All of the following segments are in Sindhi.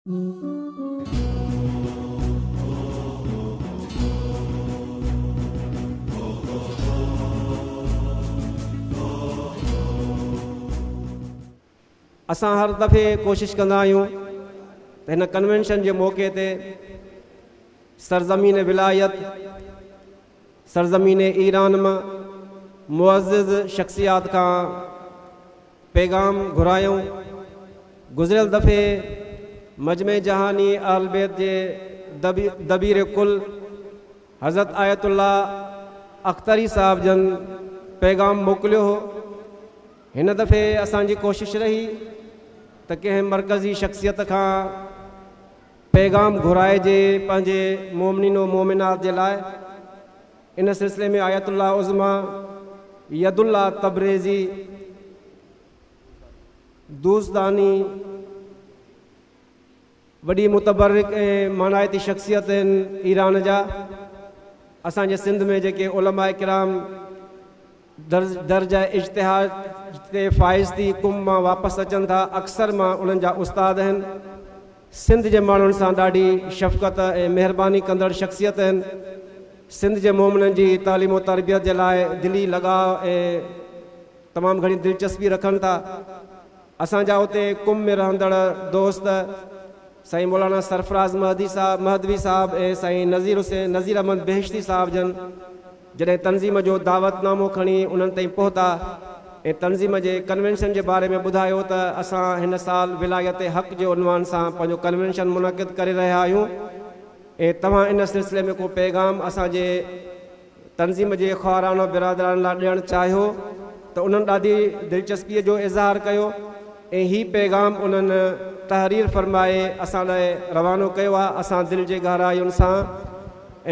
اسان هر دفعي ڪوشش ڪندا آهيون ته هن ڪنوينشن جي موقعي تي سرزمين ولايت، سرزمين ايران مان معزز شخصيات کان پيغام گهرايون. گذريل دفعي مجمع جهاني اهل بيت جي دبير ڪل حضرت آيت الله اختري صاحب جن پيغام موڪليو هو. هن دفعي اسان جي ڪوشش رهي ته ڪنهن مرڪزي شخصيت کان پيغام گهرائجي پنهنجي مؤمنين و مؤمنات جي لاء. ان سلسلي ۾ آيت الله عظميٰ يد الله تبريزي دوستاني وڏي متبرڪ ۽ مانائتي شخصيت آهن ايران جا. اسان جي سنڌ ۾ جيڪي علماء ڪرام درجه اجتهاد تي فائز ٿي قم مان واپس اچن ٿا اڪثر مان انهن جا استاد آهن. سنڌ جي ماڻهن سان ڏاڍي شفقت ۽ مهرباني ڪندڙ شخصيت آهن. سنڌ جي مومنن جي تعليم و تربيت جي لاء دلي لڳاء ۽ تمام گهڻي دلچسپي رکن ٿا. اسان جا اتي قم ۾ رهندڙ دوست سائين مولانا سرفراز مهدي صاحب مهدوي صاحب ۽ سائين نذير حسين نذير احمد بهشتي صاحب جن جڏهن تنظيم جو دعوت نامو کڻي انهن تائين پهتا ۽ تنظيم جي ڪنوينشن جي باري ۾ ٻڌايو ته اسان هن سال ولايت حق جي عنوان سان پنهنجو ڪنوينشن منعقد ڪري رهيا آهيون ۽ توهان ان سلسلي ۾ ڪو پيغام اسان جي تنظيم جي خواهران و برادران لاء ڏيڻ چاهيو ته انهن ڏاڍي دلچسپيء جو اظهار ڪيو ۽ هي پيغام انهن تحرير فرمائي اسان لاء روانو ڪيو آهي. اسان دل جي گهراين سان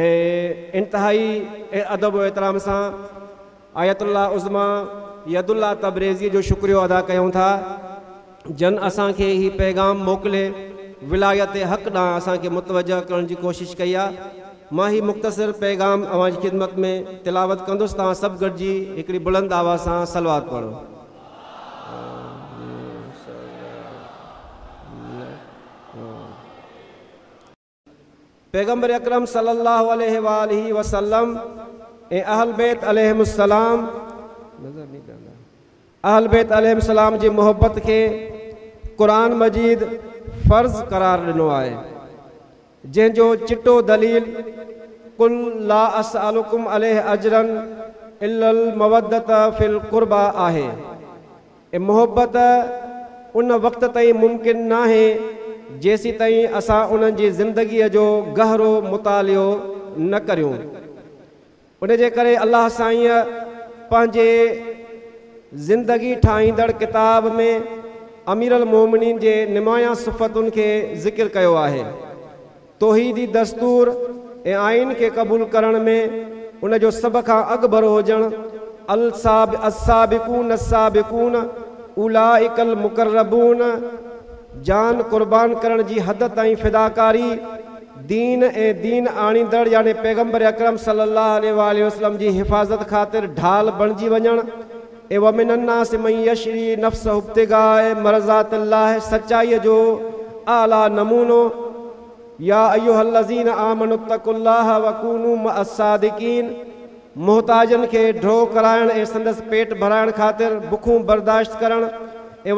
۽ انتهائي ادب و احترام سان آيت الله عظميٰ يد الله تبريزيء جو شڪريو ادا ڪيون ٿا جن اسان کي هي پيغام موڪلي ولايت حق ڏانهن اسان کي متوجه ڪرڻ جي ڪوشش ڪئي آهي. مان هي مختصر پيغام اوهان جي خدمت ۾ تلاوت ڪندس توهان سڀ گڏجي هڪڙي بلند آواز سان صلوات پڙهو. پيغمبر اڪرم صلي الله عليه واٰله وسلم ۽ اهل بيت عليهم السلام اهل بيت عليهم السلام جي محبت کي قرآن مجيد فرض قرار ڏنو آهي جنهن جو چٽو دليل قل لا اسألڪم عليه اجرا الا المودة في القربي آهي. ۽ محبت ان وقت تائين ممڪن ناهي جيسيتائين اسان انهن جي زندگيء جو گهرو مطالعو نه ڪريون. ان جي ڪري الله سائينء پنهنجي زندگي ٺاهيندڙ ڪتاب ۾ اميرالمومنين جي نمايان صفتن کي ذڪر ڪيو آهي. توحيدي دستور ۽ آئين کي قبول ڪرڻ ۾ ان جو سڀ کان اڳڀرو هجڻ، السابقون السابقون اولئک المقربون، جان قربان ڪرڻ جي حد تائين فداڪاري، دين ۽ دين آڻيندڙ يعني پيغمبر اڪرم صلي الله عليه واٰله وسلم جي حفاظت خاطر ڍال بڻجي وڃڻ ۽ ومن الناس من يشري نفسه ابتغاء مرضات الله سچائيء جو اعليٰ نمونو يا ايها الذين آمنوا اتقوا الله وڪونوا مع الصادقين محتاجن کي ڍؤ ڪرائڻ ۽ سندس پيٽ ڀرائڻ خاطر بکون برداشت ڪرڻ ۽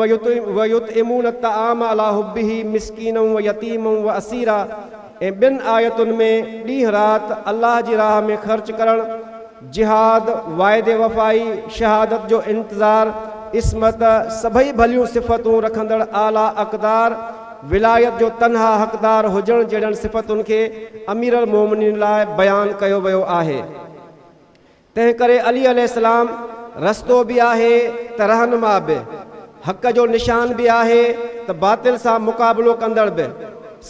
ويطعمون الطعام علي حبه مسڪينا ويتيما واسيرا ۽ ٻين آيتن ۾ ڏينهن رات الله جي راهه ۾ خرچ ڪرڻ، جهاد، واعدي وفائي، شهادت جو انتظار، عصمت، سڀئي ڀليون صفتون رکندڙ اعليٰ اقدار، ولايت جو تنها حقدار هجڻ جهڙين صفتن کي اميرالمومنين لاء بيان ڪيو ويو آهي. تنهنڪري علي عليه السلام رستو به آهي ته رهنما به، حق جو نشان به آهي ته باطل سان مقابلو ڪندڙ به،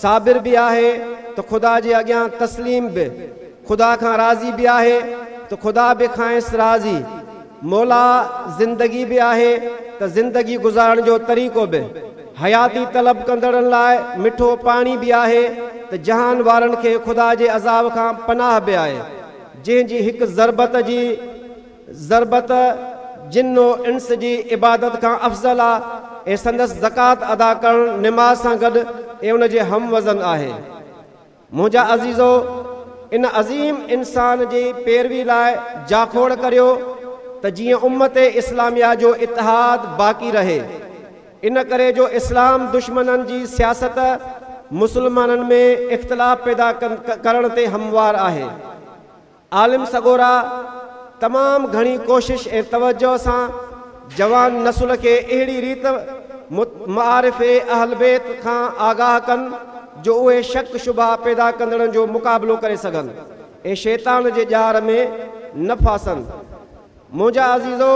صابر به آهي ته خدا جي اڳيان تسليم به، خدا کان راضي به آهي ته خدا به کانئس راضي، مولا زندگي به آهي ته زندگي گذارڻ جو طريقو به، حياتي طلب ڪندڙن لاء مٺو پاڻي به آهي ته جهان وارن کي خدا جي عذاب کان پناهه به آهي. جنهن جي هڪ ضربت جي ضربت جن و انس جي عبادت کان افضل آ ۽ سندس زڪوات ادا ڪرڻ نماز سان گڏ ۽ ان جي هم وزن آهي. منهنجا عزيزو! ان عظيم انسان جي پيروي لاء جاکوڙ ڪريو ته جيئن امت اسلاميه جو اتحاد باقي رهي. ان ڪري جو اسلام دشمنن جي سياست مسلمانن ۾ اختلاف پيدا ڪرڻ تي هموار آهي. عالم سڳورا تمام گهڻي ڪوشش ۽ توجهه سان جوان نسل کي اهڙي ريت معارف اهلبيت کان آگاهه ڪن جو اهي شڪ شبها پيدا ڪندڙن جو مقابلو ڪري سگهن ۽ شيطان جي ڄار ۾ نه ڦاسن. منهنجا عزيزو!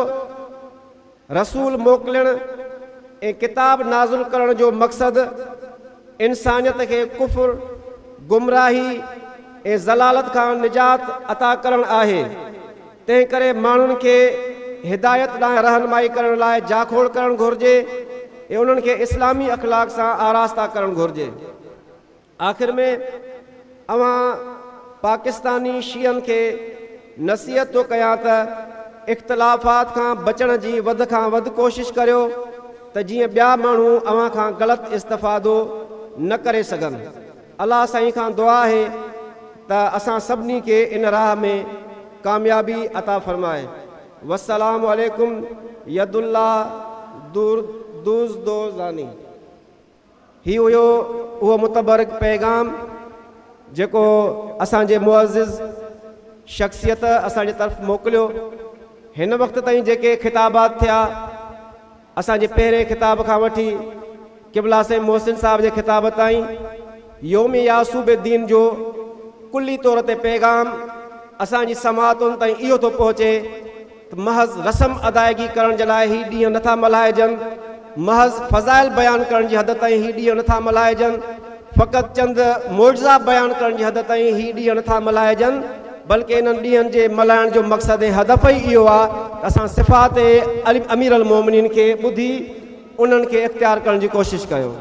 رسول موڪلڻ ۽ ڪتاب نازل ڪرڻ جو مقصد انسانيت کي ڪفر، گمراهي ۽ ضلالت کان نجات عطا ڪرڻ آهي، تنهنڪري ماڻهن کي هدايت ڏانهن رهنمائي ڪرڻ لاء جاکوڙ ڪرڻ گهرجي ۽ انهن کي اسلامي اخلاق سان آراسته ڪرڻ گهرجي. آخر ۾ اوهان پاڪستاني شيعن کي نصيحت ٿو ڪيان ته اختلافات کان بچڻ جي وڌ کان وڌ ڪوشش ڪريو ته جيئن ٻيا ماڻهو اوهان کان غلط استفادو نه ڪري سگهن. الله سائين کان دعا آهي ته اسان سڀني کي ان راهه ۾ ڪاميابي عطا فرمائي. والسلام عليڪم يد الله دوزدوزاني. هي هيو اهو متبرڪ پيغام جيڪو اسان جي معزز شخصيت اسان جي طرف موڪليو. هن وقت تائين جيڪي خطابات ٿيا، اسان جي پهرين خطاب کان وٺي قبله سائين محسن صاحب جي خطاب تائين، يوم يعصوب الدين جو ڪلي طور تي پيغام اسان جي سماعتن تائين اهو ٿو پهچي ته محض رسم ادائگي ڪرڻ جي لاء هي ڏينهن نٿا ملهائجن، محض فضائل بيان ڪرڻ جي حد تائين هي ڏينهن نٿا ملهائجن، فقط چند معجزا بيان ڪرڻ جي حد تائين هي ڏينهن نٿا ملهائجن، بلڪه انهن ڏينهن جي ملهائڻ جو مقصد ۽ هدف ئي اهو آهي ته اسان صفات امير المومنين کي ٻڌي انهن کي اختيار ڪرڻ جي ڪوشش ڪيون.